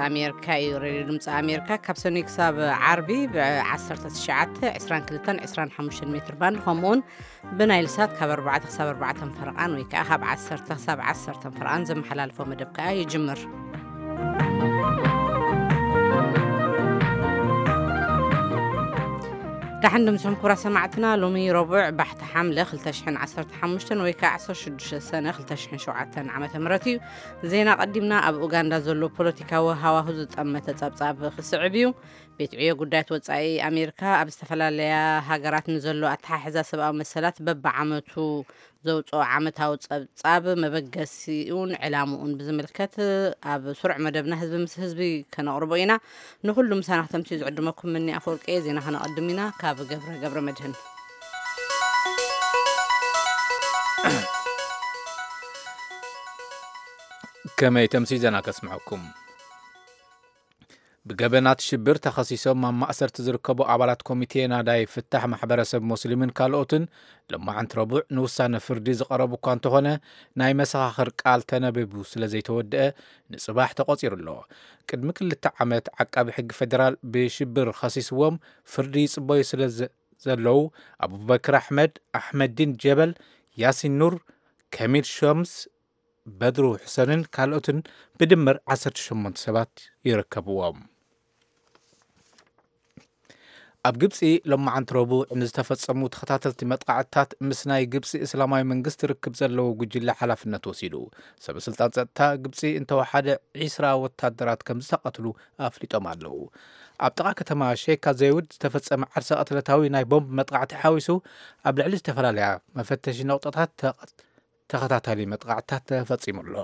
ኣሜሪካ እዩ። ሬድዮ ድምፂ ኣሜሪካ ካብ ሰኑይ ክሳብ ዓርቢ ብ19፣ 22፣ 25 ሜትር ባንድ፣ ከምኡውን ብናይል ሳት ካብ ኣርባዕተ ክሳብ ኣርባዕተ ፈረቓን ወይ ከዓ ካብ ዓሰርተ ክሳብ ዓሰርተ ፈረቓን ዘመሓላልፎ መደብ ከዓ ይጅምር። ዳሕን ድምፅኹም ክቡራት ሰማዕትና። ሎሚ ረቡዕ ባሕቲ ሓምለ ክልተ ሽሕን ዓሰርተ ሓሙሽተን ወይ ከዓ ዓሰርተ ሽዱሽተ ሰነ ክልተ ሽሕን ሸውዓተን ዓመተ ምህረት እዩ። ዜና ቀዲምና። ኣብ ኡጋንዳ ዘሎ ፖለቲካዊ ሃዋሁ ዝጠመተ ጸብጻብ ክስዕብ እዩ። ቤት ዕዮ ጉዳያት ወጻኢ ኣሜሪካ ኣብ ዝተፈላለያ ሃገራት ንዘሎ ኣተሓሕዛ ሰብኣዊ መሰላት በብዓመቱ ዘውፅኦ ዓመታዊ ጸብጻብ መበገሲኡን ዕላምኡን ብዝምልከት ኣብ ስሩዕ መደብና ህዝቢ ምስ ህዝቢ ከነቕርቦ ኢና። ንኹሉ ምሳና ክተምስዩ ዝዕድመኩም ምኒ ኣፈወርቂ እየ። ዜና ከነቐድም ኢና። ካብ ገብረ ገብረ መድህን። ከመይ ተምሲ ዜና ከስምዐኩም። ብገበናት ሽብር ተኸሲሶም ኣብ ማእሰርቲ ዝርከቡ ኣባላት ኮሚቴ ናዳይ ፍታሕ ማሕበረሰብ ሞስሊምን ካልኦትን ሎማዓንቲ ረቡዕ ንውሳነ ፍርዲ ዝቐረቡ እኳ እንተኾነ፣ ናይ መሰኻኽር ቃል ተነቢቡ ስለ ዘይተወደአ ንጽባሕ ተቖጺሩ ኣሎ። ቅድሚ ክልተ ዓመት ዓቃቢ ሕጊ ፌደራል ብሽብር ኸሲስዎም ፍርዲ ይጽበዩ ስለ ዘ-፣ ዘለዉ ኣቡበክር ኣሕመድ፣ ኣሕመዲን ጀበል፣ ያሲን ኑር፣ ከሚል ሸምስ፣ በድሩ ሕሰንን ካልኦትን ብድምር ዓሰርተ ሸሞንተ ሰባት ይርከብዎም። ኣብ ግብጺ ሎማዓንቲ ረቡዕ ንዝተፈጸሙ ተኸታተልቲ መጥቃዕትታት ምስ ናይ ግብጺ እስላማዊ መንግስቲ ርክብ ዘለዎ ጉጅለ ሓላፍነት ወሲዱ። ሰበ ስልጣን ጸጥታ ግብጺ እንተወሓደ ዒስራ ወታደራት ከም ዝተቐትሉ ኣፍሊጦም ኣለዉ። ኣብ ጥቓ ከተማ ሼካ ዘይውድ ዝተፈጸመ ዓርሰ ቅትለታዊ ናይ ቦምብ መጥቃዕቲ ሓዊሱ ኣብ ልዕሊ ዝተፈላለያ መፈተሺ ነቑጣታት ተቐ-፣ ተኸታታሊ መጥቃዕትታት ተፈጺሙ ኣሎ።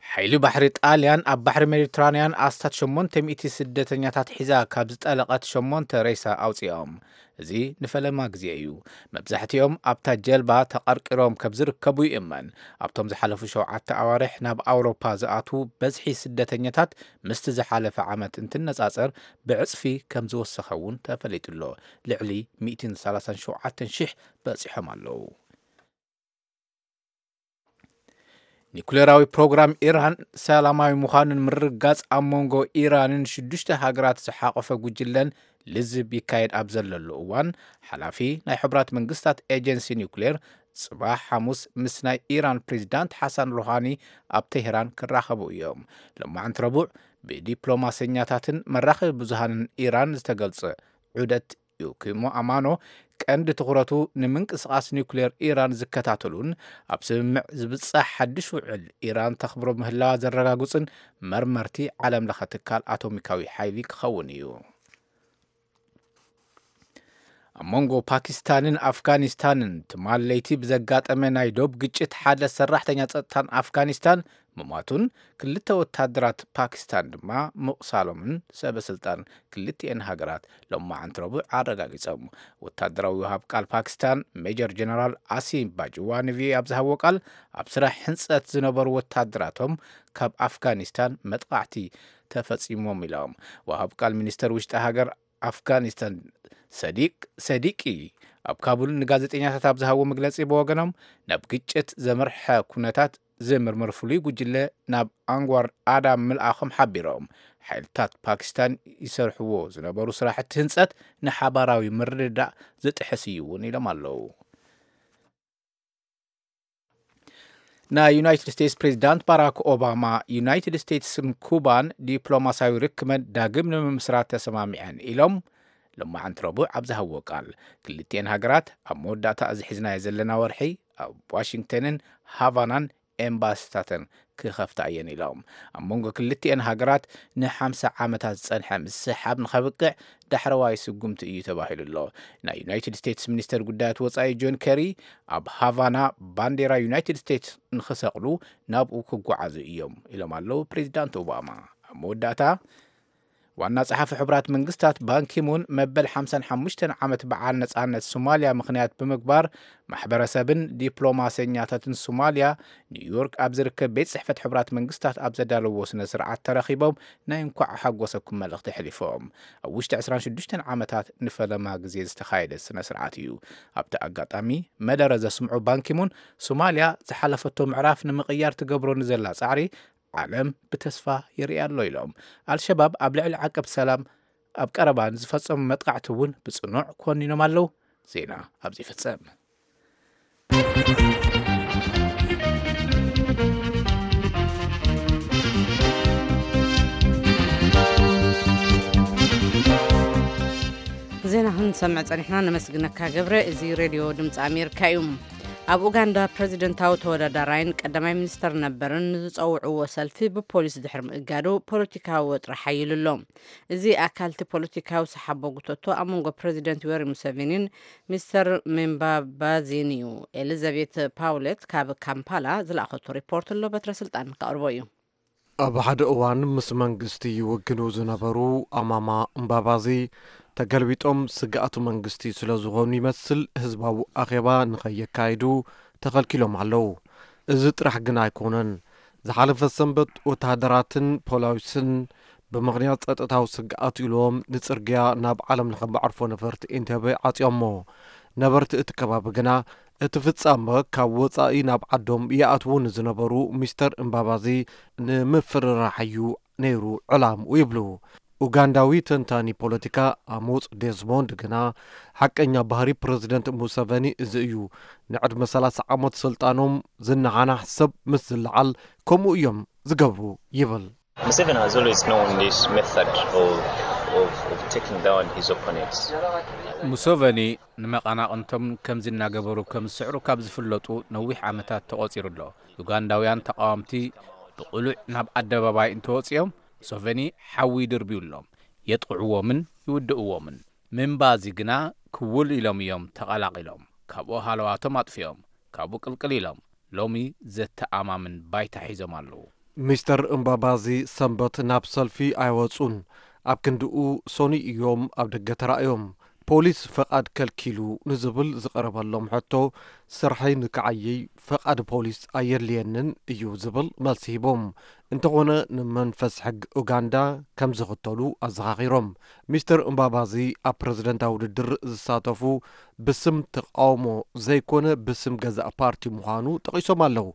ሓይሊ ባሕሪ ጣልያን ኣብ ባሕሪ ሜዲትራንያን ኣስታት ሸሞንተ ሚእቲ ስደተኛታት ሒዛ ካብ ዝጠለቐት ሸሞንተ ሬሳ ኣውፂኦም። እዚ ንፈለማ ግዜ እዩ። መብዛሕትኦም ኣብታ ጀልባ ተቐርቂሮም ከም ዝርከቡ ይእመን። ኣብቶም ዝሓለፉ ሸውዓተ ኣዋርሕ ናብ ኣውሮፓ ዝኣትዉ በዝሒ ስደተኛታት ምስቲ ዝሓለፈ ዓመት እንትነጻጸር ብዕጽፊ ከም ዝወሰኸ እውን ተፈሊጡ ኣሎ። ልዕሊ ሚእትን ሰላሳን ሸውዓተን ሽሕ በጺሖም ኣለዉ። ኒኩሌራዊ ፕሮግራም ኢራን ሰላማዊ ምዃኑን ምርግጋጽ ኣብ መንጎ ኢራንን ሽዱሽተ ሃገራት ዝሓቖፈ ጉጅለን ልዝብ ይካየድ ኣብ ዘለሉ እዋን፣ ሓላፊ ናይ ሕቡራት መንግስታት ኤጀንሲ ኒኩሌር ጽባሕ ሓሙስ ምስ ናይ ኢራን ፕሬዚዳንት ሓሳን ሩሃኒ ኣብ ቴህራን ክራኸቡ እዮም። ሎማዕንቲ ረቡዕ ብዲፕሎማሰኛታትን መራኸቢ ብዙሃንን ኢራን ዝተገልጸ ዑደት ዩኪሞ ኣማኖ ቀንዲ ትኹረቱ ንምንቅስቓስ ኒውክሌር ኢራን ዝከታተሉን ኣብ ስምምዕ ዝብጻሕ ሓድሽ ውዕል ኢራን ተኽብሮ ምህላዋ ዘረጋግጽን መርመርቲ ዓለም ለኸ ትካል ኣቶሚካዊ ሓይሊ ክኸውን እዩ። ኣብ መንጎ ፓኪስታንን ኣፍጋኒስታንን ትማል ለይቲ ብዘጋጠመ ናይ ዶብ ግጭት ሓደ ሰራሕተኛ ጸጥታን ኣፍጋኒስታን ምሟቱን ክልተ ወታደራት ፓኪስታን ድማ ምቑሳሎምን ሰበ ስልጣን ክልቲኤን ሃገራት ሎማዓንቲ ረቡዕ ኣረጋጊጾም። ወታደራዊ ወሃብ ቃል ፓኪስታን ሜጀር ጀነራል ኣሲም ባጅዋ ንቪኦኤ ኣብ ዝሃቦ ቃል፣ ኣብ ስራሕ ህንጸት ዝነበሩ ወታደራቶም ካብ ኣፍጋኒስታን መጥቃዕቲ ተፈጺሞም ኢሎም። ወሃብ ቃል ሚኒስተር ውሽጢ ሃገር ኣፍጋኒስታን ሰዲቅ ሰዲቂ ኣብ ካቡል ንጋዜጠኛታት ኣብ ዝሃቦ መግለጺ ብወገኖም፣ ናብ ግጭት ዘምርሐ ኩነታት ዝምርምር ፍሉይ ጉጅለ ናብ ኣንጓር ኣዳም ምልኣኾም ሓቢሮም። ሓይልታት ፓኪስታን ይሰርሕዎ ዝነበሩ ስራሕቲ ህንጸት ንሓባራዊ ምርድዳእ ዝጥሕስ እዩ እውን ኢሎም ኣለዉ። ናይ ዩናይትድ ስቴትስ ፕሬዚዳንት ባራክ ኦባማ ዩናይትድ ስቴትስን ኩባን ዲፕሎማሲያዊ ርክበን ዳግም ንምምስራት ተሰማሚዐን ኢሎም ሎማዓንቲ ረቡዕ ኣብ ዝሃብዎ ቃል። ክልቲኤን ሃገራት ኣብ መወዳእታ እዚ ሒዝናዮ ዘለና ወርሒ ኣብ ዋሽንግተንን ሃቫናን ኤምባሲታተን ክኸፍታ እየን ኢሎም። ኣብ መንጎ ክልቲኤን ሃገራት ንሓምሳ ዓመታት ዝጸንሐ ምስሕሓብ ንኸብቅዕ ዳሕረዋይ ስጉምቲ እዩ ተባሂሉ ኣሎ። ናይ ዩናይትድ ስቴትስ ሚኒስተር ጉዳያት ወጻኢ ጆን ኬሪ ኣብ ሃቫና ባንዴራ ዩናይትድ ስቴትስ ንኽሰቕሉ ናብኡ ክጓዓዙ እዮም ኢሎም ኣለዉ ፕሬዚዳንት ኦባማ። ኣብ መወዳእታ ዋና ጸሓፊ ሕቡራት መንግስታት ባንኪሙን መበል ሓምሳን ሓሙሽተን ዓመት በዓል ነጻነት ሶማልያ ምኽንያት ብምግባር ማሕበረሰብን ዲፕሎማሰኛታትን ሶማልያ ኒውዮርክ ኣብ ዝርከብ ቤት ጽሕፈት ሕቡራት መንግስታት ኣብ ዘዳለዎ ስነ ስርዓት ተረኺቦም ናይ እንኳዕ ሓጎሰኩም መልእኽቲ ኣሕሊፎም። ኣብ ውሽጢ ዕስራን ሽዱሽተን ዓመታት ንፈለማ ግዜ ዝተኻየደ ስነ ስርዓት እዩ። ኣብቲ ኣጋጣሚ መደረ ዘስምዑ ባንኪሙን ሶማልያ ዝሓለፈቶ ምዕራፍ ንምቕያር ትገብሮ ንዘላ ጻዕሪ ዓለም ብተስፋ ይርኢ ኣሎ ኢሎም። ኣልሸባብ ኣብ ልዕሊ ዓቀብ ሰላም ኣብ ቀረባ ንዝፈጸሙ መጥቃዕቲ እውን ብጽኑዕ ኮኒኖም ኣለዉ። ዜና ኣብዚ ይፍጸም። ዜና ክንሰምዕ ጸኒሕና፣ ነመስግነካ ገብረ። እዚ ሬድዮ ድምፂ ኣሜሪካ እዩ። ኣብ ኡጋንዳ ፕረዚደንታዊ ተወዳዳራይን ቀዳማይ ሚኒስተር ነበርን ንዝጸውዕዎ ሰልፊ ብፖሊስ ድሕሪ ምእጋዱ ፖለቲካዊ ወጥሪ ሓይሉ ኣሎ። እዚ ኣካል እቲ ፖለቲካዊ ሰሓቦ ጉተቶ ኣብ መንጎ ፕረዚደንት ዮወሪ ሙሰቪኒን ሚስተር ምባባዚን እዩ። ኤሊዛቤት ፓውሌት ካብ ካምፓላ ዝለኣኸቶ ሪፖርት ኣሎ፣ በትረ ስልጣን ከቕርቦ እዩ። ኣብ ሓደ እዋን ምስ መንግስቲ ይውግኑ ዝነበሩ ኣማማ እምባባዚ ተገልቢጦም ስግኣት መንግስቲ ስለ ዝኾኑ ይመስል ህዝባዊ ኣኼባ ንኸየካይዱ ተኸልኪሎም ኣለዉ። እዚ ጥራሕ ግን ኣይኮነን። ዝሓለፈ ሰንበት ወተሃደራትን ፖሊስን ብምኽንያት ጸጥታዊ ስግኣት ኢሎም ንጽርግያ ናብ ዓለም ለኸ መዕርፎ ነፈርቲ ኤንተቤ ዓጽዮሞ። ነበርቲ እቲ ከባቢ ግና እቲ ፍጻመ ካብ ወጻኢ ናብ ዓዶም ይኣትዉ ንዝነበሩ ሚስተር እምባባዚ ንምፍርራሕ እዩ ነይሩ ዕላምኡ ይብሉ። ኡጋንዳዊ ተንታኒ ፖለቲካ ኣሞጽ ዴዝሞንድ ግና ሓቀኛ ባህሪ ፕረዚደንት ሙሰቨኒ እዚ እዩ። ንዕድመ ሰላሳ ዓመት ስልጣኖም ዝነሓናሕ ሰብ ምስ ዝለዓል ከምኡ እዮም ዝገብሩ ይብል። Museveni has always known this method of, of, of taking down his opponents. ሙሶቨኒ ንመቐናቕንቶም ከምዚ እናገበሩ ከም ዝስዕሩ ካብ ዝፍለጡ ነዊሕ ዓመታት ተቖጺሩ ኣሎ። ዩጋንዳውያን ተቓወምቲ ብቕሉዕ ናብ ኣደባባይ እንተወጺኦም ሙሶቨኒ ሓዊ ይድርብዩሎም፣ የጥቕዕዎምን ይውድእዎምን። ምንባዚ ግና ክውል ኢሎም እዮም ተቐላቒሎም፣ ካብኡ ሃለዋቶም ኣጥፊኦም፣ ካብኡ ቅልቅል ኢሎም ሎሚ ዘተኣማምን ባይታ ሒዞም ኣለዉ። ሚስተር እምባባዚ ሰንበት ናብ ሰልፊ ኣይወጹን። ኣብ ክንድኡ ሶኒ እዮም ኣብ ደገ ተራእዮም። ፖሊስ ፈቓድ ከልኪሉ ንዝብል ዝቐረበሎም ሕቶ፣ ስርሐይ ንክዓይይ ፈቓድ ፖሊስ ኣየድልየንን እዩ ዝብል መልሲ ሂቦም። እንተኾነ ንመንፈስ ሕጊ ኡጋንዳ ከም ዝኽተሉ ኣዘኻኺሮም። ሚስተር እምባባዚ ኣብ ፕረዚደንታዊ ውድድር ዝሳተፉ ብስም ተቃውሞ ዘይኮነ ብስም ገዛእ ፓርቲ ምዃኑ ጠቒሶም ኣለዉ።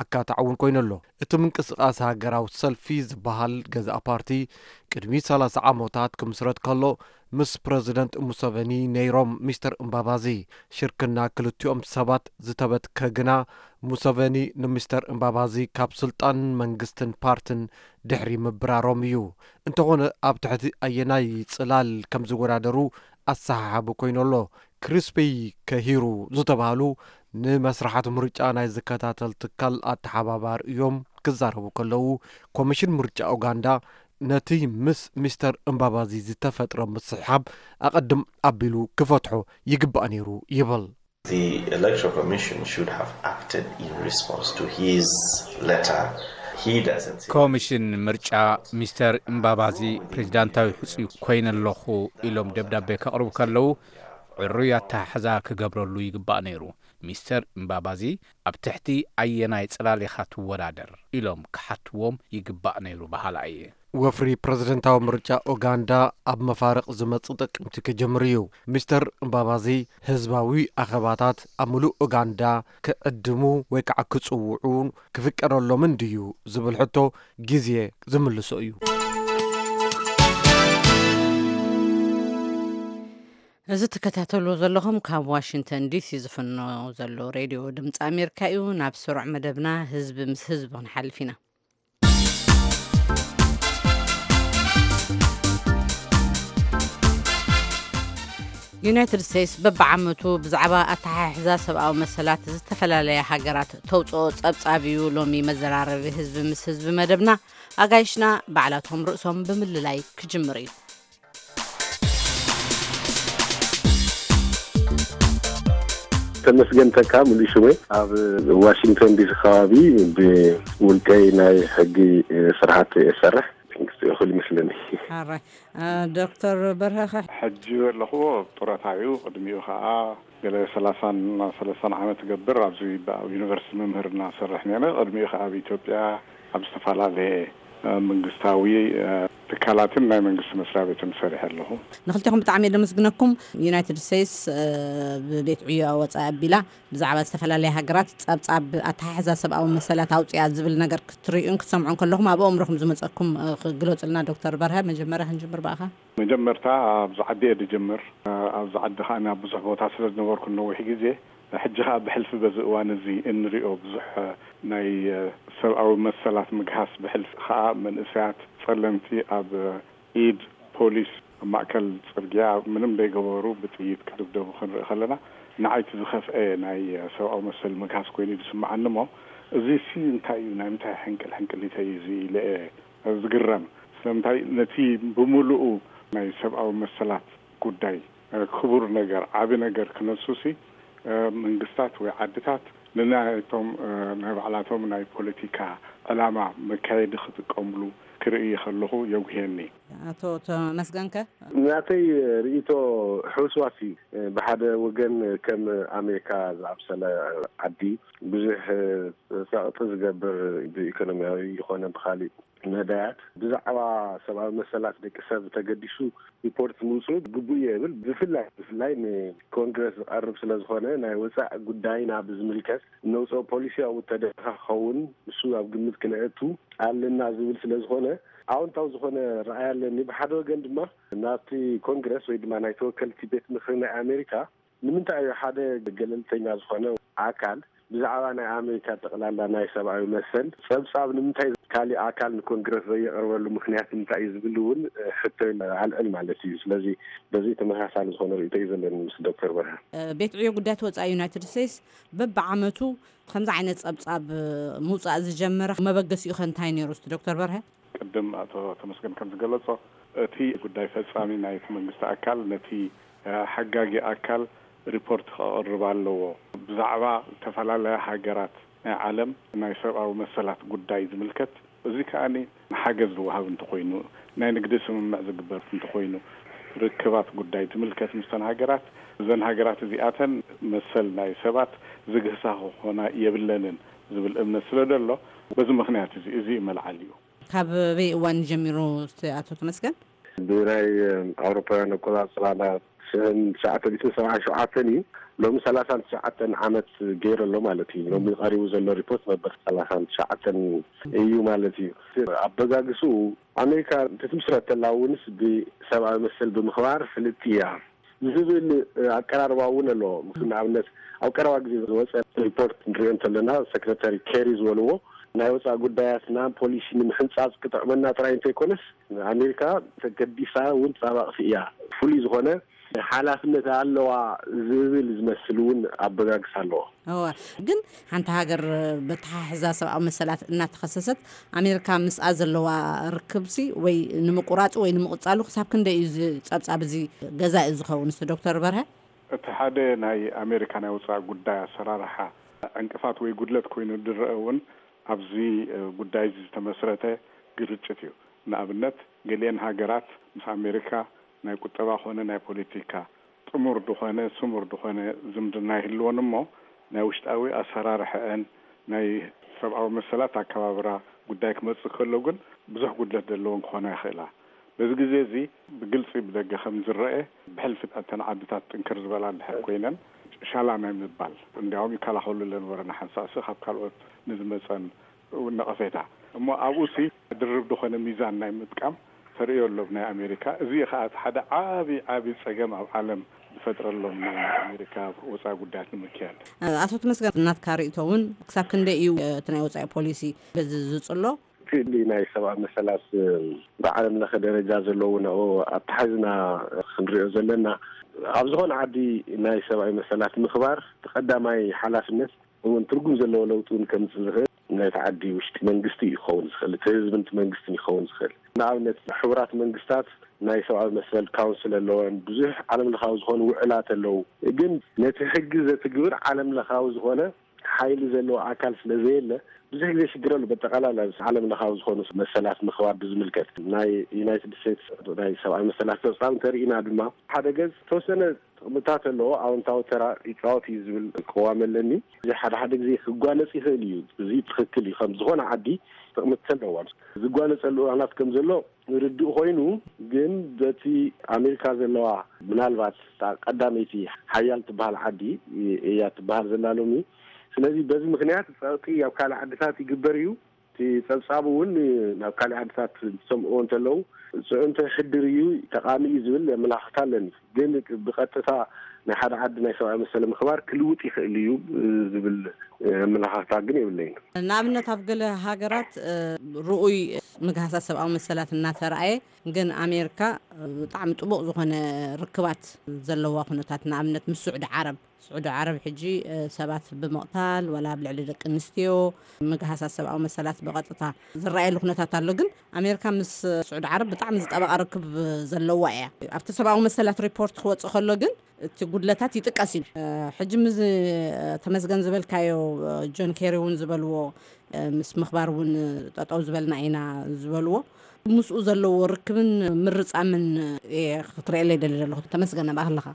ኣካታዕ እውን ኮይኑ ኣሎ። እቲ ምንቅስቓስ ሃገራዊ ሰልፊ ዝበሃል ገዛእ ፓርቲ ቅድሚ ሰላሳ ዓመታት ክምስረት ከሎ ምስ ፕረዚደንት ሙሰቨኒ ነይሮም። ሚስተር እምባባዚ ሽርክና ክልቲኦም ሰባት ዝተበትከ ግና ሙሰቨኒ ንሚስተር እምባባዚ ካብ ስልጣን መንግስትን ፓርትን ድሕሪ ምብራሮም እዩ። እንተኾነ ኣብ ትሕቲ ኣየናይ ጽላል ከም ዝወዳደሩ ኣሰሓሓቢ ኮይኑ ኣሎ። ክሪስፒ ከሂሩ ዝተባህሉ ንመስርሓት ምርጫ ናይ ዝከታተል ትካል ኣተሓባባሪ እዮም። ክዛረቡ ከለዉ ኮሚሽን ምርጫ ኡጋንዳ ነቲ ምስ ሚስተር እምባባዚ ዝተፈጥረ ምስሕሓብ ኣቐድም ኣቢሉ ክፈትሖ ይግባእ ነይሩ ይብል። The Electoral Commission should have acted in response to his letter. He doesn't see ኮሚሽን ምርጫ ሚስተር እምባባዚ ፕሬዚዳንታዊ ሕጹይ ኮይነ ኣለኹ ኢሎም ደብዳቤ ከቕርቡ ከለዉ ዕሩይ ኣተሓሕዛ ክገብረሉ ይግባእ ነይሩ። ሚስተር እምባባዚ ኣብ ትሕቲ ኣየናይ ጽላል ኢኻ ትወዳደር ኢሎም ክሓትዎም ይግባእ ነይሩ በሃላ እየ። ወፍሪ ፕረዚደንታዊ ምርጫ ኡጋንዳ ኣብ መፋርቕ ዝመጽእ ጥቅምቲ ክጅምር እዩ። ሚስተር እምባባዚ ህዝባዊ ኣኼባታት ኣብ ምሉእ ኡጋንዳ ክዕድሙ ወይ ከዓ ክጽውዑ ክፍቀደሎምን ድዩ ዝብል ሕቶ ግዜ ዝምልሶ እዩ። እዚ ትከታተልዎ ዘለኹም ካብ ዋሽንግተን ዲሲ ዝፍኖ ዘሎ ሬድዮ ድምፂ ኣሜሪካ እዩ። ናብ ስሩዕ መደብና ህዝቢ ምስ ህዝቢ ክንሓልፍ ኢና። ዩናይትድ ስቴትስ በብዓመቱ ብዛዕባ ኣተሓሕዛ ሰብኣዊ መሰላት ዝተፈላለያ ሃገራት ተውፅኦ ፀብፃብ እዩ ሎሚ መዘራረቢ ህዝቢ ምስ ህዝቢ መደብና። ኣጋይሽና ባዕላቶም ርእሶም ብምልላይ ክጅምር እዩ። ተመስገን ተካ ምሉእ ሽመይ፣ ኣብ ዋሽንግተን ዲሲ ከባቢ ብውልቀይ ናይ ሕጊ ስርሓት እሰርሕ። ክብል ይመስለኒ። ሓራይ ዶክተር በርሀኸ? ሕጂ ዘለኹዎ ጡረታ እዩ። ቅድሚኡ ከዓ ገለ ሰላሳን ሰለስተ ዓመት ገብር ኣብዚ ኣብ ዩኒቨርሲቲ መምህር እናሰርሕ ነረ። ቅድሚኡ ከዓ ኣብ ኢትዮጵያ ኣብ ዝተፈላለየ መንግስታዊ ትካላትን ናይ መንግስቲ መስሪያ ቤትን ሰሪሐ ኣለኹ። ንክልቲኹም ብጣዕሚ የመስግነኩም። ዩናይትድ ስቴትስ ብቤት ዕዮ ወፃኢ ኣቢላ ብዛዕባ ዝተፈላለያ ሃገራት ጸብጻብ ኣተሓሕዛ ሰብኣዊ መሰላት ኣውፅያ ዝብል ነገር ክትርእዩን ክትሰምዑን ከለኹም ኣብ ኣእምሮኹም ዝመፀኩም ክግለፁልና ዶክተር በርሀ። መጀመርያ ክንጅምር ብኣኻ። መጀመርታ ኣብዚ ዓዲ እየ ዝጀምር። ኣብዚ ዓዲ ከዓ ናብ ብዙሕ ቦታ ስለ ዝነበርኩ ነዊሕ ግዜ፣ ሕጂ ከዓ ብሕልፊ በዚ እዋን እዚ እንሪኦ ብዙሕ ናይ ሰብኣዊ መሰላት ምግሃስ፣ ብሕልፊ ከዓ መንእሰያት ጸለምቲ ኣብ ኢድ ፖሊስ ኣብ ማእከል ጽርግያ ምንም ዘይገበሩ ብጥይት ክድብደቡ ክንርኢ ከለና፣ ንዓይቲ ዝኸፍአ ናይ ሰብኣዊ መሰል ምግሃስ ኮይኑ እዩ ዝስምዓኒ። እሞ እዚ ሲ እንታይ እዩ? ናይ ምንታይ ሕንቅል ሕንቅሊተይ እዚ ኢለ እየ ዝግረም። ስለምንታይ ነቲ ብምሉኡ ናይ ሰብኣዊ መሰላት ጉዳይ ክቡር ነገር፣ ዓቢ ነገር ክነሱ ሲ መንግስታት ወይ ዓድታት ንናይቶም ናይ ባዕላቶም ናይ ፖለቲካ ዕላማ መካየዲ ክጥቀምሉ ክርኢ ከለኹ የጉህየኒ። ኣቶ ተመስገንከ? ናተይ ርእይቶ ሕውስዋስ እዩ። ብሓደ ወገን ከም ኣሜሪካ ዝኣምሰለ ዓዲ ብዙሕ ጸቕጢ ዝገብር ብኢኮኖሚያዊ ይኾነ ብኻሊእ መዳያት ብዛዕባ ሰብኣዊ መሰላት ደቂ ሰብ ተገዲሱ ሪፖርት ምውፅኡ ግቡእ እየ እብል። ብፍላይ ብፍላይ ንኮንግረስ ዝቐርብ ስለ ዝኾነ ናይ ወፃኢ ጉዳይና ብዝምልከት እነውፅኦ ፖሊሲ ኣብኡ ተደረኻ ክኸውን ንሱ ኣብ ግምት ክነእቱ ኣለና ዝብል ስለ ዝኾነ ኣዎንታዊ ዝኾነ ረኣይ ኣለኒ። ብሓደ ወገን ድማ ናብቲ ኮንግረስ ወይ ድማ ናይ ተወከልቲ ቤት ምክሪ ናይ ኣሜሪካ ንምንታይ እዩ ሓደ ገለልተኛ ዝኾነ ኣካል ብዛዕባ ናይ ኣሜሪካ ጠቕላላ ናይ ሰብኣዊ መሰል ጸብጻብ ንምንታይ ካሊእ ኣካል ንኮንግረስ ዘየቕርበሉ ምክንያት እንታይ እዩ ዝብል እውን ሕቶ ኣልዕል ማለት እዩ። ስለዚ በዚ ተመሳሳሊ ዝኾነ ርእይቶ እዩ ዘለኒ ምስ ዶክተር በርሀ። ቤት ዕዮ ጉዳያት ወፃኢ ዩናይትድ ስቴትስ በብዓመቱ ከምዚ ዓይነት ጸብጻብ ምውፃእ ዝጀመረ መበገሲኡ ከ እንታይ ነይሩ እስቲ ዶክተር በርሀ? ቅድም ኣቶ ተመስገን ከም ዝገለጾ እቲ ጉዳይ ፈጻሚ ናይቲ መንግስቲ ኣካል ነቲ ሓጋጊ ኣካል ሪፖርት ከቕርብ ኣለዎ። ብዛዕባ ዝተፈላለያ ሃገራት ናይ ዓለም ናይ ሰብኣዊ መሰላት ጉዳይ ዝምልከት፣ እዚ ከኣ ንሓገዝ ዝወሃብ እንተኾይኑ፣ ናይ ንግዲ ስምምዕ ዝግበር እንተኾይኑ፣ ርክባት ጉዳይ ዝምልከት ምስተን ሃገራት፣ እዘን ሃገራት እዚኣተን መሰል ናይ ሰባት ዝግህሳ ክኾና የብለንን ዝብል እምነት ስለ ዘሎ፣ በዚ ምኽንያት እዚ እዚ እዩ መልዓሊኡ። ካብ በይ እዋን ጀሚሩ ኣቶ ተመስገን? ብናይ ኣውሮፓውያን ኣቆፃፅራ ናብ ሽሕን ትሽዓተ ሚእትን ሰብዓን ሸውዓተን እዩ። ሎሚ ሰላሳን ትሽዓተን ዓመት ገይሩ ኣሎ ማለት እዩ። ሎሚ ቀሪቡ ዘሎ ሪፖርት መበል ሰላሳን ትሽዓተን እዩ ማለት እዩ። ኣበጋግስኡ ኣሜሪካ ክትምስረት ተላ እውንስ ብሰብኣዊ መሰል ብምኽባር ፍልጥቲ እያ ዝብል ኣቀራርባ እውን ኣለዎ። ንኣብነት ኣብ ቀረባ ግዜ ዝወፀ ሪፖርት ንሪኦ እንተለና ሰክረታሪ ኬሪ ዝበልዎ ናይ ወፃኢ ጉዳያትና ፖሊሲ ንምሕንፃፅ ክጥዕመና ጥራይ እንተይኮነስ ኣሜሪካ ተገዲሳ እውን ተጣባቕቲ እያ። ፍሉይ ዝኾነ ሓላፍነት ኣለዋ ዝብል ዝመስል እውን ኣበጋግስ ኣለዎ። እወ፣ ግን ሓንቲ ሃገር በተሓሕዛ ሰብኣዊ መሰላት እናተኸሰሰት ኣሜሪካ ምስኣ ዘለዋ ርክብሲ ወይ ንምቁራፁ ወይ ንምቕፃሉ ክሳብ ክንደይ እዩ እዚ ፀብፃብ እዚ ገዛኢ ዝኸውን? እስቲ ዶክተር በርሀ። እቲ ሓደ ናይ ኣሜሪካ ናይ ወፃኢ ጉዳይ ኣሰራርሓ ዕንቅፋት ወይ ጉድለት ኮይኑ ዝረአ እውን ኣብዚ ጉዳይ እዚ ዝተመስረተ ግርጭት እዩ። ንኣብነት ገሊአን ሃገራት ምስ ኣሜሪካ ናይ ቁጠባ ኮነ ናይ ፖለቲካ ጥሙር ዝኾነ ስሙር ዝኾነ ዝምድና ይህልወን እሞ ናይ ውሽጣዊ ኣሰራርሐአን ናይ ሰብኣዊ መሰላት ኣከባብራ ጉዳይ ክመፅእ ከሎ ግን ብዙሕ ጉድለት ዘለዎን ክኾና ይኽእላ። በዚ ግዜ እዚ ብግልፂ ብደገ ከም ዝረአ ብሕልፊ እተን ዓድታት ጥንክር ዝበላ እንድሕር ኮይነን ሻላ ናይ ምባል እንዲያውም ይከላኸሉ ለነበረ ንሓንሳእሲ ካብ ካልኦት ንዝመፀን እውን ነቐፌታ እሞ ኣብኡሲ ድርብ ዝኾነ ሚዛን ናይ ምጥቃም ተርእዮ ኣሎ ብናይ ኣሜሪካ። እዚ ከዓ እቲ ሓደ ዓቢ ዓቢ ፀገም ኣብ ዓለም ዝፈጥረሎም ናይ ኣሜሪካ ወፃኢ ጉዳያት ንምክያድ። ኣቶ ተመስገን ናትካ ርእቶ እውን ክሳብ ክንደይ እዩ እቲ ናይ ወፃኢ ፖሊሲ በዚ ዝፅሎ? እቲ ናይ ሰብኣዊ መሰላት ብዓለም ለኸ ደረጃ ዘለዉ ንኡ ኣተሓዝና ክንሪኦ ዘለና ኣብ ዝኾነ ዓዲ ናይ ሰብኣዊ መሰላት ምኽባር እቲ ቀዳማይ ሓላፍነት እውን ትርጉም ዘለዎ ለውጢ እውን ከምፅእ ዝኽእል ናይቲ ዓዲ ውሽጢ መንግስቲ እዩ ክኸውን ዝኽእል፣ እቲ ህዝብን እቲ መንግስትን እዩ ክኸውን ዝኽእል። ንኣብነት ሕቡራት መንግስታት ናይ ሰብኣዊ መሰል ካውንስል ኣለወን፣ ብዙሕ ዓለም ለኻዊ ዝኾኑ ውዕላት ኣለዉ። ግን ነቲ ሕጊ ዘትግብር ዓለም ለኻዊ ዝኾነ ሓይሊ ዘለዎ ኣካል ስለ ዘየለ ብዙሕ ግዜ ሽግር ኣሎ። በጠቓላላ ዓለም ለኻዊ ዝኾኑ መሰላት ምኽባር ብዝምልከት ናይ ዩናይትድ ስቴትስ ናይ ሰብኣዊ መሰላት ጸብጻብ እንተርኢና ድማ ሓደ ገጽ ተወሰነ ጥቕምታት ኣለዎ፣ ኣወንታዊ ተራ ይጻወት እዩ ዝብል ቅዋም ኣለኒ። እዚ ሓደ ሓደ ግዜ ክጓነጽ ይኽእል እዩ። እዚ ትኽክል እዩ። ከም ዝኾነ ዓዲ ጥቕምታት ኣለዎ። ዝጓነጸሉ እዋናት ከም ዘሎ ርዱእ ኮይኑ፣ ግን በቲ ኣሜሪካ ዘለዋ ምናልባት እታ ቀዳመይቲ ሓያል ትበሃል ዓዲ እያ ትበሃል ዘላ ሎሚ። ስለዚ በዚ ምክንያት ጸቕጢ ኣብ ካልእ ዓድታት ይግበር እዩ። እቲ ጸብጻብ እውን ናብ ካልእ ዓድታት ዝሰምዕዎ እንተለዉ ጽዕንቶ ይሕድር እዩ፣ ጠቓሚ እዩ ዝብል ኣመላኽታ ኣለኒ። ግን ብቐጥታ ናይ ሓደ ዓዲ ናይ ሰብኣዊ መሰል ምኽባር ክልውጥ ይኽእል እዩ ዝብል ኣመላኻኽታ ግን የብለይን። ንኣብነት ኣብ ገለ ሃገራት ርኡይ ምግሃሳት ሰብኣዊ መሰላት እናተረኣየ ግን ኣሜሪካ ብጣዕሚ ጥቡቕ ዝኾነ ርክባት ዘለዋ ኩነታት፣ ንኣብነት ምስ ስዑዲ ዓረብ፣ ስዑዲ ዓረብ ሕጂ ሰባት ብምቕታል ወላ ኣብ ልዕሊ ደቂ ኣንስትዮ ምግሃሳት ሰብኣዊ መሰላት ብቐጥታ ዝረኣየሉ ኩነታት ኣሎ። ግን ኣሜሪካ ምስ ስዑዲ ዓረብ ብጣዕሚ ዝጠበቐ ርክብ ዘለዋ እያ። ኣብቲ ሰብኣዊ መሰላት ሪፖርት ክወፅእ ከሎ ግን እቲ ጉድለታት ይጥቀስ እዩ። ሕጂ ምስ ተመስገን ዝበልካዮ፣ ጆን ኬሪ እውን ዝበልዎ፣ ምስ ምኽባር እውን ጠጠው ዝበልና ኢና ዝበልዎ፣ ምስኡ ዘለዎ ርክብን ምርጻምን እየ ክትርእየለይ ደሊ ዘለኹ። ተመስገን፣ ናብኣ ከለኻ።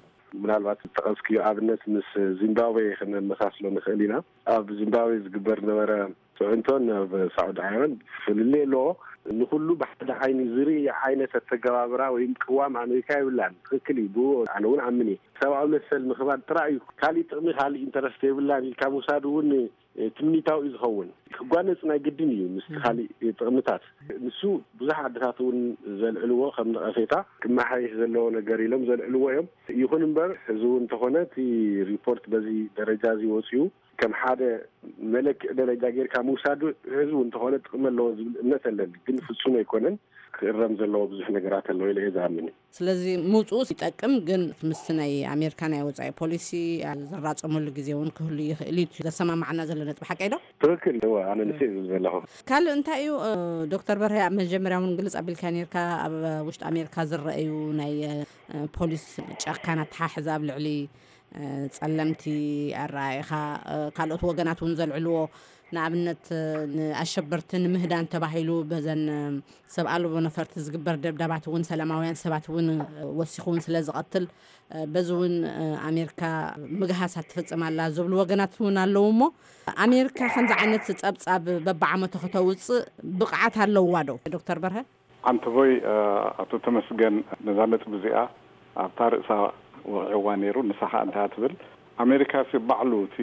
ምናልባት ዝጠቐስክዮ ኣብነት ምስ ዚምባብዌ ክነመሳስሎ ንኽእል ኢና። ኣብ ዚምባብዌ ዝግበር ነበረ ፅዕንቶን ኣብ ሳዑዲ ዓረብን ፍልልይ ኣለዎ። ንኩሉ ብሓደ ዓይኒ ዝርኢ ዓይነት ኣተገባብራ ወይም ቅዋም ኣሜሪካ የብላን። ትኽክል እዩ። ብኡ ኣነ እውን ኣምን እየ። ሰብኣዊ መሰል ምኽባር ጥራይ እዩ። ካሊእ ጥቕሚ፣ ካሊእ ኢንተረስት የብላን ኢልካ ምውሳድ እውን ትምኒታዊ እዩ ዝኸውን። ክጓነፅ ናይ ግድን እዩ ምስ ካሊእ ጥቕምታት። ንሱ ብዙሕ ዓድታት እውን ዘልዕልዎ ከም ነቐፌታ ክመሓየሽ ዘለዎ ነገር ኢሎም ዘልዕልዎ እዮም። ይኹን እምበር እዚ እውን እንተኾነ እቲ ሪፖርት በዚ ደረጃ እዚ ወፂኡ ከም ሓደ መለክዒ ደረጃ ጌርካ ምውሳዱ ህዝቡ እንተኾነ ጥቕሚ ኣለዎ ዝብል እምነት ኣለኒ። ግን ፍጹም ኣይኮነን። ክእረም ዘለዎ ብዙሕ ነገራት ኣለዎ ኢለ እየ ዝኣምን። ስለዚ ምውፅኡ ይጠቅም፣ ግን ምስቲ ናይ ኣሜሪካ ናይ ወፃኢ ፖሊሲ ዝራፀመሉ ግዜ እውን ክህሉ ይኽእል እዩ። ዘሰማማዕና ዘሎ ነጥቢ ሓቀይ ዶ? ትኽክል። እወ፣ ኣነ ንስ እዩ ዝብል ዘለኹ። ካልእ እንታይ እዩ፣ እ፣ ዶክተር በርሀ፣ ኣብ መጀመርያ እውን ግልጽ ኣቢልካ ነርካ፣ ኣብ ውሽጢ ኣሜሪካ ዝረኣዩ ናይ፣ እ፣ ፖሊስ ጨካን ኣተሓሕዛ ኣብ ልዕሊ ጸለምቲ ኣረኣእኻ፣ ካልኦት ወገናት እውን ዘልዕልዎ፣ ንኣብነት ንኣሸበርቲ ንምህዳን ተባሂሉ በዘን ሰብ ኣልቦ ነፈርቲ ዝግበር ደብዳባት እውን ሰላማውያን ሰባት እውን ወሲኹ እውን ስለ ዝቐትል፣ በዚ እውን ኣሜሪካ ምግሃሳት ትፍጽም ኣላ ዝብሉ ወገናት እውን ኣለዉ። እሞ ኣሜሪካ ከምዚ ዓይነት ጸብጻብ በብዓመቱ ከተውጽእ ብቕዓት ኣለዋ ዶ? ዶክተር በርሀ። ኣንተቦይ፣ ኣቶ ተመስገን ነዛ ነጥቢ እዚኣ ኣብታ ርእሳ ወቒዕዋ ነይሩ። ንሳ ኸኣ እንታይ እያ ትብል? ኣሜሪካ ሲ ባዕሉ እቲ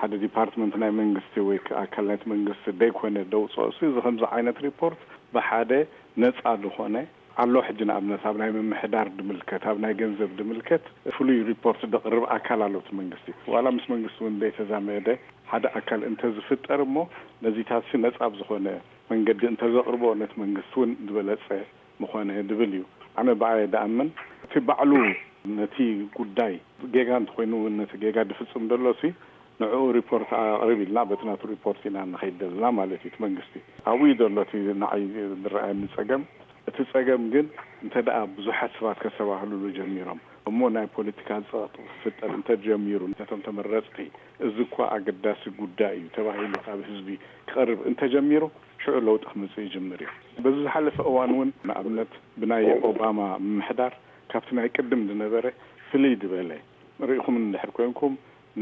ሓደ ዲፓርትመንት ናይ መንግስቲ ወይ ከዓ ኣካል ናይቲ መንግስቲ ደይኮነ ደውፅኦ ሲ፣ እዚ ከምዚ ዓይነት ሪፖርት ብሓደ ነፃ ዝኾነ ኣሎ። ሕጂ ንኣብነት ኣብ ናይ ምምሕዳር ድምልከት፣ ኣብ ናይ ገንዘብ ድምልከት ፍሉይ ሪፖርት ደቕርብ ኣካል ኣሎ እቲ መንግስቲ። ዋላ ምስ መንግስቲ እውን ዘይተዛመደ ሓደ ኣካል እንተዝፍጠር እሞ ነዚታት ሲ ነፃ ብዝኾነ መንገዲ እንተዘቕርቦ ነቲ መንግስቲ እውን ዝበለፀ ምኾነ ድብል እዩ። ኣነ ብኣየ ድኣምን እቲ ባዕሉ ነቲ ጉዳይ ጌጋ እንተኾይኑ እውን ነቲ ጌጋ ድፍፅም ደሎ ሲ ንዕኡ ሪፖርት ኣቕርብ ኢልና በቲ ናቱ ሪፖርት ኢና ንኸይድ ዘለና ማለት እዩ። እቲ መንግስቲ ኣብኡ እዩ ዘሎ እቲ ንዓይ ዝረኣየኒ ፀገም። እቲ ፀገም ግን እንተ ደኣ ብዙሓት ሰባት ከስተባህሉሉ ጀሚሮም እሞ ናይ ፖለቲካ ፀቕጢ ክፍጠር እንተጀሚሩ ነቶም ተመረፅቲ እዚ እኳ ኣገዳሲ ጉዳይ እዩ ተባሂሉ ካብ ህዝቢ ክቐርብ እንተጀሚሩ ሽዑ ለውጢ ክመፅእ ይጅምር እዩ። በዚ ዝሓለፈ እዋን እውን ንኣብነት ብናይ ኦባማ ምምሕዳር ካብቲ ናይ ቅድም ዝነበረ ፍልይ ዝበለ ርኢኹም እንድሕር ኮንኩም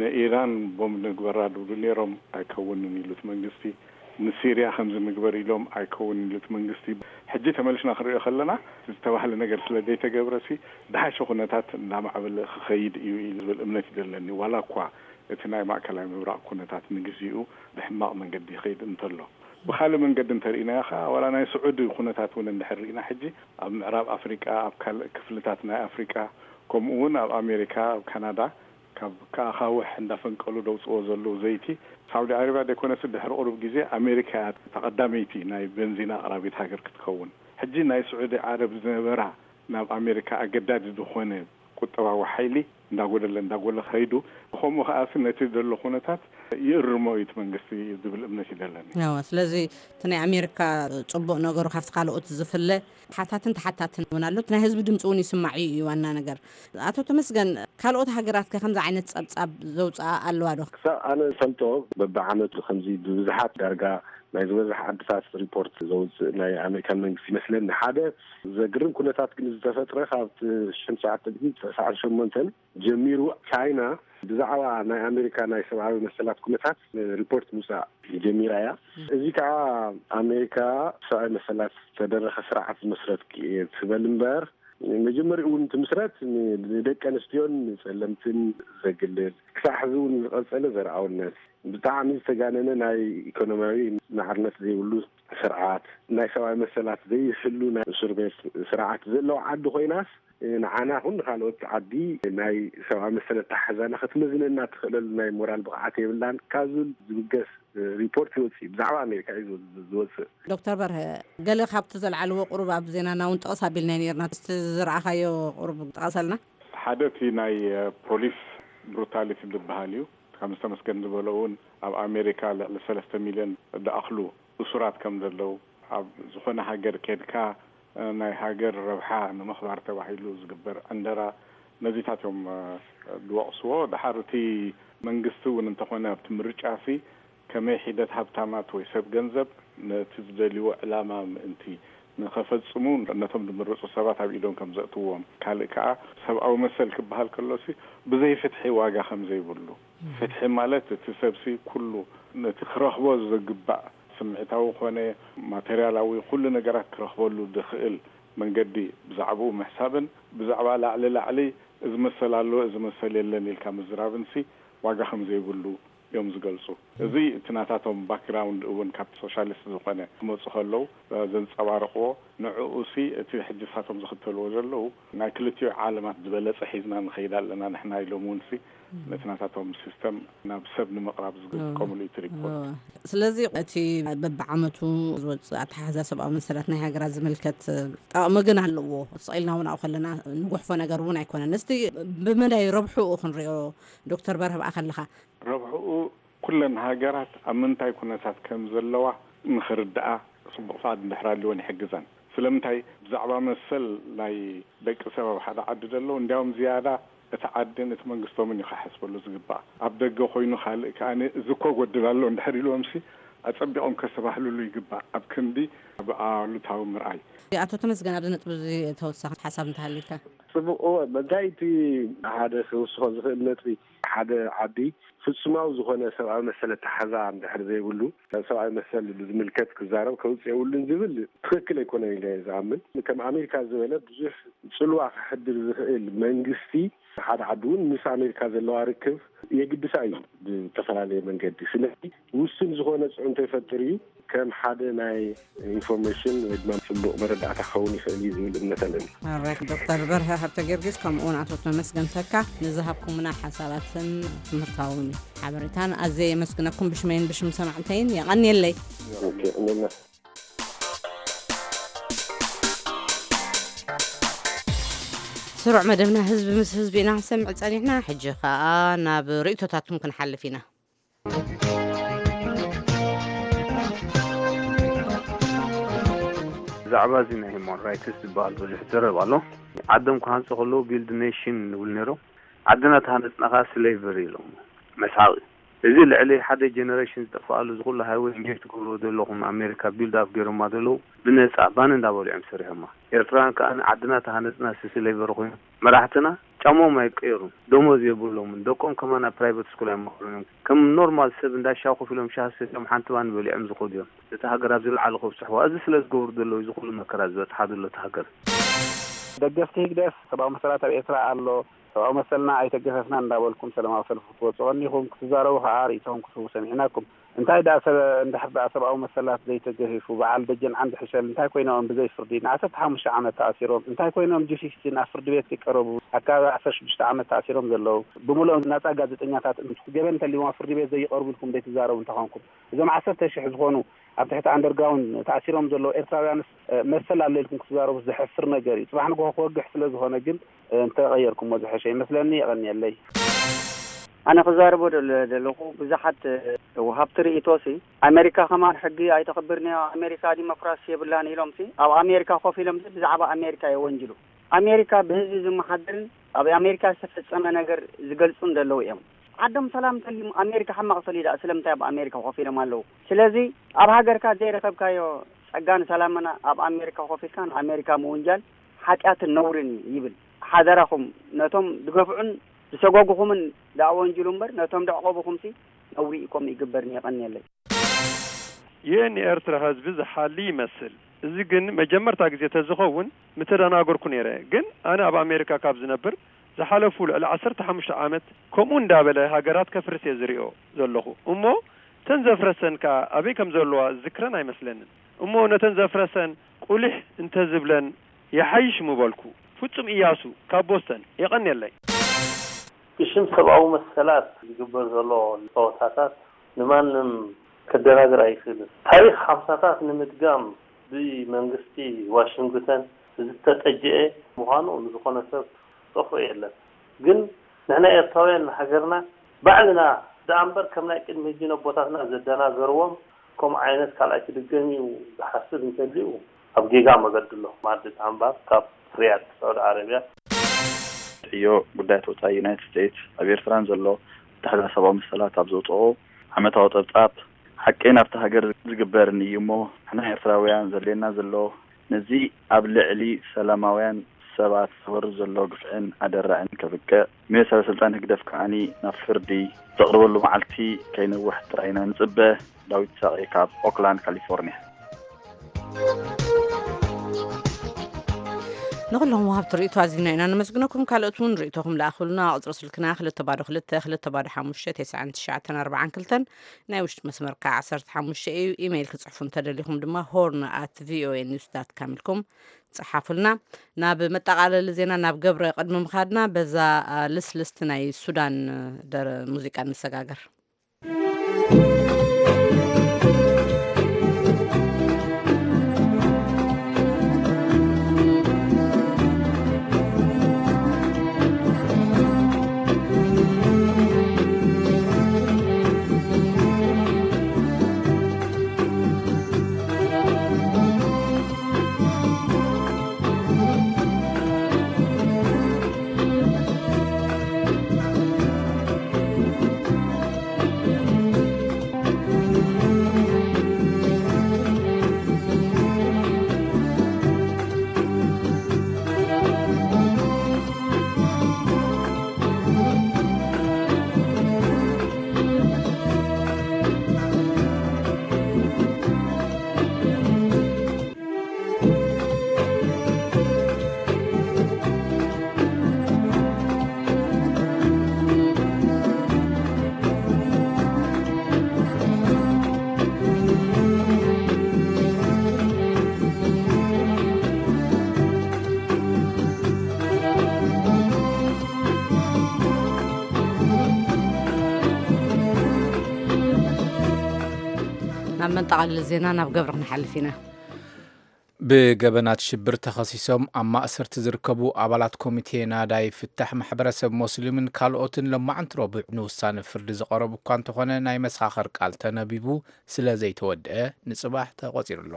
ንኢራን ቦምብ ንግበራ ድብሉ ነይሮም፣ ኣይከውንን ኢሉ እቲ መንግስቲ። ንሲርያ ከምዚ ንግበር ኢሎም ኣይከውንን ኢሉ እቲ መንግስቲ። ሕጂ ተመሊስና ክንሪኦ ከለና ዝተባህለ ነገር ስለ ዘይተገብረሲ ድሓሸ ኩነታት እናማዕበለ ክኸይድ እዩ ኢሉ ዝብል እምነት እዩ ዘለኒ። ዋላ እኳ እቲ ናይ ማእከላይ ምብራቕ ኩነታት ንግዚኡ ብሕማቕ መንገዲ ይኸይድ እንተሎ። ብኻልእ መንገዲ እንተርኢናዮ ኸዓ ዋላ ናይ ስዑዲ ኩነታት እውን እንድሕር ርኢና ሕጂ ኣብ ምዕራብ ኣፍሪቃ፣ ኣብ ካልእ ክፍልታት ናይ ኣፍሪቃ ከምኡ እውን ኣብ ኣሜሪካ፣ ኣብ ካናዳ ካብ ከኣኻውሕ እንዳፈንቀሉ ደውፅዎ ዘለዉ ዘይቲ ሳውዲ ዓረብያ ደይኮነስ ድሕሪ ቁሩብ ግዜ ኣሜሪካ እያ ተቐዳመይቲ ናይ በንዚን ኣቕራቢት ሃገር ክትከውን። ሕጂ ናይ ስዑዲ ዓረብ ዝነበራ ናብ ኣሜሪካ ኣገዳዲ ዝኾነ ቁጠባዊ ሓይሊ እንዳጎደለ እንዳጎለ ከይዱ። ከምኡ ከኣሲ ነቲ ዘሎ ኩነታት ይእርሞ እዩ እቲ መንግስቲ ዝብል እምነት እዩ ዘለኒ። ያው ስለዚ እቲ ናይ ኣሜሪካ ጽቡቕ ነገሩ ካብቲ ካልኦት ዝፍለ ሓታትን ተሓታትን እውን ኣሎ። እቲ ናይ ህዝቢ ድምፂ እውን ይስማዕ እዩ፣ እዩ ዋና ነገር። ኣቶ ተመስገን፣ ካልኦት ሃገራት ከ ከምዚ ዓይነት ጸብጻብ ዘውፅኣ ኣለዋ ዶ? ክሳብ ኣነ ዝፈልጦ በብዓመቱ ከምዚ ብብዝሓት ዳርጋ ናይ ዝበዝሕ ዓድታት ሪፖርት ዘውፅእ ናይ ኣሜሪካን መንግስቲ ይመስለኒ። ሓደ ዘግርም ኩነታት ግን ዝተፈጥረ ካብ ሽሕን ትሽዓተ ሚእትን ተስዓን ሸሞንተን ጀሚሩ ቻይና ብዛዕባ ናይ ኣሜሪካ ናይ ሰብኣዊ መሰላት ኩነታት ሪፖርት ምውፃእ ጀሚራ እያ። እዚ ከዓ ኣሜሪካ ሰብኣዊ መሰላት ዝተደረኸ ስርዓት ዝመስረት እየ ትበል እምበር፣ መጀመሪኡ እውን ትምስረት ንደቂ ኣንስትዮን ንፀለምትን ዘግልል፣ ክሳዕ ሕዚ እውን ዝቐፀለ ዘርኣውነት፣ ብጣዕሚ ዝተጋነነ ናይ ኢኮኖሚያዊ ማዕርነት ዘይብሉ ስርዓት፣ ናይ ሰብኣዊ መሰላት ዘይሕሉ ናይ እስር ቤት ስርዓት ዘለዋ ዓዲ ኮይናስ፣ ንዓና ኹን ንኻልኦት ዓዲ ናይ ሰብኣዊ መሰል ኣተሓሕዛና ክትመዝነና ትኽእለሉ ናይ ሞራል ብቕዓት የብላን ካብ ዝብል ዝብገስ ሪፖርት ይወፅእ። ብዛዕባ ኣሜሪካ እዩ ዝወ- ዝወፅእ። ዶክተር በርሀ፣ ገለ ካብቲ ዘልዓልዎ ቁሩብ ኣብ ዜናና እውን ጠቐስ ኣቢልና ነርና። እስቲ ዝረኣኻዮ ቁሩብ ጠቐሰልና። ሓደ እቲ ናይ ፖሊስ ብሩታሊቲ ዝበሃል እዩ። ከም ዝተመስገን ዝበሎ እውን ኣብ ኣሜሪካ ልዕሊ ሰለስተ ሚልዮን ዝኣኽሉ እሱራት ከም ዘለዉ፣ ኣብ ዝኾነ ሃገር ኬድካ ናይ ሃገር ረብሓ ንምኽባር ተባሂሉ ዝግበር ዕንደራ፣ ነዚታት እዮም ዝወቕስዎ። ድሓር እቲ መንግስቲ እውን እንተኾነ ኣብቲ ምርጫ ሲ ከመይ ሒደት ሃብታማት ወይ ሰብ ገንዘብ ነቲ ዝደልይዎ ዕላማ ምእንቲ ንኸፈጽሙ ነቶም ዝምረጹ ሰባት ኣብ ኢዶም ከም ዘእትዎም፣ ካልእ ከኣ ሰብኣዊ መሰል ክበሃል ከሎሲ ብዘይ ፍትሒ ዋጋ ከም ዘይብሉ፣ ፍትሒ ማለት እቲ ሰብሲ ኩሉ ነቲ ክረኽቦ ዝግባእ ስምዒታዊ ኮነ ማተርያላዊ ኩሉ ነገራት ክረኽበሉ ዝኽእል መንገዲ ብዛዕባኡ ምሕሳብን ብዛዕባ ላዕሊ ላዕሊ እዚ መሰል ኣሎ እዚ መሰል የለን ኢልካ ምዝራብንሲ ዋጋ ከም ዘይብሉ እዮም ዝገልጹ። እዚ እቲ ናታቶም ባክግራውንድ እውን ካብቲ ሶሻሊስት ዝኾነ ክመጹ ከለዉ ዘንጸባርቕዎ፣ ንዕኡ ሲ እቲ ሕጂ ሳቶም ዝኽተልዎ ዘለዉ ናይ ክልቲኡ ዓለማት ዝበለጸ ሒዝና ንኸይድ ኣለና ንሕና ኢሎም እውን ሲ ነቲ ናታቶም ሲስተም ናብ ሰብ ንምቕራብ ዝጥቀምሉ እዩ እቲ ሪፖርት። እወ። ስለዚ እቲ በብዓመቱ ዝወፅእ ኣተሓሕዛ ሰብኣዊ መሰላት ናይ ሃገራት ዝምልከት ጠቕሚ ግን ኣለዎ። ስቕ ኢልና እውን ኣብኡ ከለና ንጉሕፎ ነገር እውን ኣይኮነን። እስቲ ብመዳይ ረብሕኡ ክንሪኦ ዶክተር በርሀ ብኣ ከለኻ። ረብሕኡ ኩለን ሃገራት ኣብ ምንታይ ኩነታት ከም ዘለዋ ንኽርድኣ ጽቡቕ ፍቓድ እንድሕር ኣልወን ይሕግዘን። ስለምንታይ ብዛዕባ መሰል ናይ ደቂ ሰብ ኣብ ሓደ ዓዲ ዘለዉ እንዲያውም ዝያዳ እቲ ዓድን እቲ መንግስቶምን እዩ ክሓስበሉ ዝግባእ። ኣብ ደገ ኮይኑ ካልእ ከኣ እዚ እኮ ጎድል ኣሎ እንድሕር ኢልዎምሲ ኣጸቢቖም ከስተባህልሉ ይግባእ። ኣብ ክንዲ ኣብ ኣሉታዊ ምርኣይ። ኣቶ ተመስገን ኣብዚ ነጥቢ እዚ ተወሳኺ ሓሳብ እንተሃልዩካ። ጽቡቕ። እወ፣ መጋይቲ ሓደ ክውስኾ ዝኽእል ነጥቢ ሓደ ዓዲ ፍጹማዊ ዝኾነ ሰብኣዊ መሰል ኣተሓዛ እንድሕር ዘይብሉ፣ ሰብኣዊ መሰል ብዝምልከት ክዛረብ ከውጽእ የብሉን ዝብል ትኽክል ኣይኮነን ኢለ እየ ዝኣምን። ከም ኣሜሪካ ዝበለ ብዙሕ ጽልዋ ከሕድር ዝኽእል መንግስቲ ሓደ ዓዲ እውን ምስ ኣሜሪካ ዘለዋ ርክብ የግድሳ እዩ ብዝተፈላለየ መንገዲ። ስለዚ ውሱን ዝኾነ ጽዕንቶ ይፈጥር እዩ። ከም ሓደ ናይ ኢንፎርሜሽን ወይ ድማ ጽቡቕ መረዳእታ ክኸውን ይኽእል እዩ ዝብል እምነት ኣለኒ። ኣራይት ዶክተር በርሀ ሃብተ ጊዮርጊስ ከምኡ እውን ኣቶ ተመስገን ተካ ንዝሃብኩምና ሓሳባትን ትምህርታዊ ሓበሬታን ኣዝየ የመስግነኩም ብሽመይን ብሽም ሰማዕተይን የቐንየለይ። ኦኬ፣ እኔና ስሩዕ መደብና ህዝቢ ምስ ህዝቢ ኢና ክንሰምዕ ጸኒሕና። ሕጂ ኸኣ ናብ ርእይቶታትኩም ክንሓልፍ ኢና። ብዛዕባ እዚ ናይ ሂማን ራይትስ ዝበሃል ብዙሕ ይዘረብ ኣሎ። ዓዶም ክሃንጹ ከለዉ ቢልድ ኔሽን ንብል ነይሮም። ዓድና ተሃነጽና ከኣ ስሌቨሪ ኢሎም መስሓቂ። እዚ ልዕሊ ሓደ ጀነሬሽን ዝጠፍኣሉ እዚ ኩሉ ሃይወይ ኢንጆይ ትገብርዎ ዘለኹም ኣሜሪካ ቢልድ ኣፕ ገይሮማ ዘለዉ ብነጻ ባን እንዳበሉ እዮም ሰሪሖማ። ኤርትራውያን ከኣ ዓድና ተሃነጽና ስሌቨሪ ኮይኖም መራሕትና ጫማኦም ኣይቀየሩን፣ ደሞዝ የብሎምን፣ ደቆም ከማን ኣብ ፕራይቨት ስኩል ኣይመሃሩን እዮም። ከም ኖርማል ሰብ እንዳ ሻሂ ኮፍ ኢሎም ሻሂ ሰትዮም ሓንቲ ባኒ በሊዖም ዝኸዱ እዮም። ነታ ሃገር ኣብ ዝለዓለ ከብጽሕዋ። እዚ ስለ ዝገብሩ ዘለዉ እዚ ኩሉ መከራ ዝበጽሓ ዘሎ እታ ሃገር። ደገፍቲ ህግደፍ ሰብኣዊ መሰላት ኣብ ኤርትራ ኣሎ፣ ሰብኣዊ መሰልና ኣይተገፈፍናን እንዳበልኩም ሰላማዊ ሰልፊ ክትወጹ ቀኒኹም ክትዛረቡ ከኣ ርእይቶኹም ክትህቡ ሰሚዕናኩም። እንታይ ደኣ ሰብ እንድሕር ደኣ ሰብኣዊ መሰላት ዘይተገፊፉ በዓል ደጀን ዓንዲ ሕሸል እንታይ ኮይኖም ብዘይ ፍርዲ ንዓሰርተ ሓሙሽተ ዓመት ተኣሲሮም እንታይ ኮይኖም ጂ ፊፍቲን ኣብ ፍርዲ ቤት ከይቀረቡ ኣብ ከባቢ ዓሰርተ ሽዱሽተ ዓመት ተኣሲሮም ዘለዉ ብምልኦም ናጻ ጋዜጠኛታት ገበን እንተልዎም ኣብ ፍርዲ ቤት ዘይቀርቡ ኢልኩም ዘይትዛረቡ እንተኾንኩም እዞም ዓሰርተ ሽሕ ዝኾኑ ኣብ ትሕቲ ኣንደርግራውንድ ተኣሲሮም ዘለዉ ኤርትራውያንስ መሰል ኣሎ ኢልኩም ክትዛረቡ ዘሕፍር ነገር እዩ። ጽባሕ ንግሆ ክወግሕ ስለ ዝኾነ ግን እንተቐየርኩሞ ዝሐሸ ይመስለኒ። የቐንየለይ። ኣነ ክዛረቦ ደለ-፣ ዘለኹ ብዙሓት፣ እ፣ ወሃብቲ ርእይቶሲ ኣሜሪካ ከማን ሕጊ ኣይተኽብርን እያ፣ ኣሜሪካ ዲሞክራሲ የብላን ኢሎምሲ ኣብ ኣሜሪካ ኮፍ ኢሎምሲ ብዛዕባ ኣሜሪካ የወንጅሉ። ኣሜሪካ ብህዝቢ ዝመሓደርን ኣብ ኣሜሪካ ዝተፈጸመ ነገር ዝገልጹን ዘለዉ እዮም። ዓዶም ሰላም ተልዩ ኣሜሪካ ሕማቕ ተልዩ ደኣ ስለምንታይ ኣብ ኣሜሪካ ኮፍ ኢሎም ኣለዉ? ስለዚ ኣብ ሃገርካ ዘይረኸብካዮ ጸጋን ሰላምና ኣብ ኣሜሪካ ኮፍ ኢልካ ንኣሜሪካ ምውንጃል ሓጢኣትን ነውርን እዩ ይብል። ሓደራኹም ነቶም ዝገፍዑን ዝሰጎጉኹምን ደኣ ወንጅሉ እምበር ነቶም ደዕቆብኹምሲ ነውሪ ኢኮም ይግበርን። የቐንየለይ። ይህ ንኤርትራ ህዝቢ ዝሓሊ ይመስል። እዚ ግን መጀመርታ ግዜ ተዝኸውን ምተደናገርኩ ነይረ። ግን ኣነ ኣብ ኣሜሪካ ካብ ዝነብር ዝሓለፉ ልዕሊ ዓሰርተ ሓሙሽተ ዓመት ከምኡ እንዳበለ ሃገራት ከፍርስ እየ ዝሪኦ ዘለኹ። እሞ እተን ዘፍረሰን ከኣ ኣበይ ከም ዘለዋ ዝዝክረን ኣይመስለንን። እሞ ነተን ዘፍረሰን ቁሊሕ እንተዝብለን ይሓይሽ ምበልኩ። ፍጹም እያሱ ካብ ቦስተን። የቐንየለይ። ብሽም ሰብኣዊ መሰላት ዝግበር ዘሎ ጸወታታት ንማንም ከደናግር ኣይኽእልን። ታሪኽ ሓምሳታት ንምድጋም ብመንግስቲ ዋሽንግተን ዝተጠጅአ ምዃኑ ንዝኾነ ሰብ ዝጠፍኦ የለን። ግን ንሕና ኤርትራውያን ንሃገርና ባዕልና ደኣ እምበር ከም ናይ ቅድሚ ሕጂ ነቦታትና ዘደናገርዎም ከምኡ ዓይነት ካልኣይ ክድገም እዩ ዝሓስብ እንተልዩ ኣብ ጌጋ መገዲ ኣሎ። ማዲ ታምባር ካብ ሪያድ ሳዑዲ ዓረብያ። ዕዮ ጉዳያት ወጻኢ ዩናይትድ ስቴትስ ኣብ ኤርትራን ዘሎ ኣተሓሕዛ ሰብኣዊ መሰላት ኣብ ዘውጽኦ ዓመታዊ ጸብጻብ ሓቂ ናብቲ ሃገር ዝግበርን እዩ እሞ ንሕና ኤርትራውያን ዘድልየና ዘሎ ነዚ ኣብ ልዕሊ ሰላማውያን ሰባት ዝወርድ ዘሎ ግፍዕን ኣደራዕን ከብቅዕ፣ ንሰበ ስልጣን ህግደፍ ከኣ ናብ ፍርዲ ዘቕርበሉ መዓልቲ ከይነውሕ ጥራይ ኢና ንጽበ። ዳዊት ይስሐቅ ካብ ኦክላንድ ካሊፎርኒያ። ንኹሎም ወሃብቲ ርእይቶ ኣዚና ኢና ነመስግነኩም። ካልኦት እውን ርእይቶኹም ለኣኹልና። ቁጽሪ ስልክና ክልተ ባዶ ክልተ ክልተ ባዶ ሓሙሽተ ተስዓን ትሽዓተን ኣርባዓን ክልተን፣ ናይ ውሽጢ መስመር ከኣ ዓሰርተ ሓሙሽተ እዩ። ኢሜይል ክጽሕፉ እንተደሊኹም ድማ ሆርን ኣት ቪኦኤ ኒውስ ዳት ካም ኢልኩም ጸሓፉልና። ናብ መጠቓለሊ ዜና ናብ ገብረ ቅድሚ ምኻድና በዛ፣ አ፣ ልስልስቲ ናይ ሱዳን ደረ-፣ ሙዚቃ ንሰጋገር። ናብ መንጠቓልል ዜና ናብ ገብረ ክንሓልፍ ኢና። ብገበናት ሽብር ተኸሲሶም ኣብ ማእሰርቲ ዝርከቡ ኣባላት ኮሚቴ ናዳይ ፍታሕ ማሕበረሰብ ሞስሊምን ካልኦትን ሎማዕንቲ ረቡዕ ንውሳነ ፍርዲ ዝቐረቡ እኳ እንተኾነ፣ ናይ መሰኻኽር ቃል ተነቢቡ ስለ ዘይተወድአ ንጽባሕ ተቖጺሩ ኣሎ።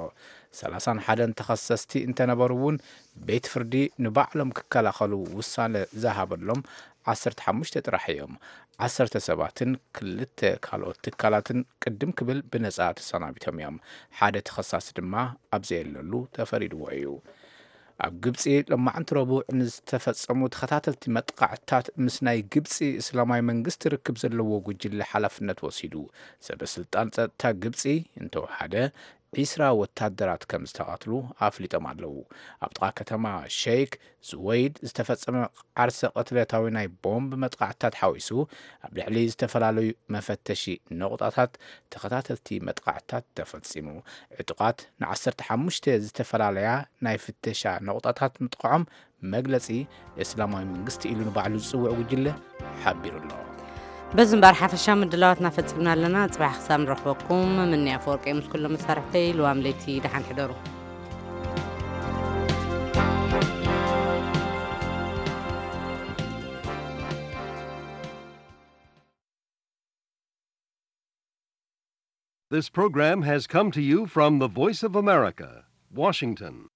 ሰላሳን ሓደን ተኸሰስቲ እንተነበሩ እውን፣ ቤት ፍርዲ ንባዕሎም ክከላኸሉ ውሳነ ዝሃበሎም ዓሰርተ ሓሙሽተ ጥራሕ እዮም። ዓሰርተ ሰባትን ክልተ ካልኦት ትካላትን ቅድም ክብል ብነጻ ተሰናቢቶም እዮም። ሓደ ተኸሳሲ ድማ ኣብ ዘየለሉ ተፈሪድዎ እዩ። ኣብ ግብጺ ሎማዕንቲ ረቡዕ ንዝተፈጸሙ ተኸታተልቲ መጥቃዕትታት ምስ ናይ ግብጺ እስላማዊ መንግስቲ ርክብ ዘለዎ ጉጅለ ሓላፍነት ወሲዱ። ሰበ ስልጣን ጸጥታ ግብጺ እንተወሓደ ዒስራ ወታደራት ከም ዝተቐትሉ ኣፍሊጦም ኣለዉ። ኣብ ጥቓ ከተማ ሸይክ ዙወይድ ዝተፈጸመ ዓርሰ ቅትለታዊ ናይ ቦምብ መጥቃዕትታት ሓዊሱ፣ ኣብ ልዕሊ ዝተፈላለዩ መፈተሺ ነቑጣታት ተኸታተልቲ መጥቃዕትታት ተፈጺሙ። ዕጡቓት ንዓሰርተ ሓሙሽተ ዝተፈላለያ ናይ ፍተሻ ነቑጣታት ምጥቃዖም መግለጺ እስላማዊ መንግስቲ ኢሉ ንባዕሉ ዝጽውዕ ጉጅለ ሓቢሩ ኣሎ። በዚ እምበኣር ሓፈሻ ምድላዋትና ፈጺምና ኣለና። ጽባሕ ክሳብ ንረኽበኩም፣ ምኒ ኣፈወርቂ ምስ ኩሎም መሳርሕተይ፣ ልዋም ለይቲ ደሓን ሕደሩ። This program has come to you from the Voice of America, Washington.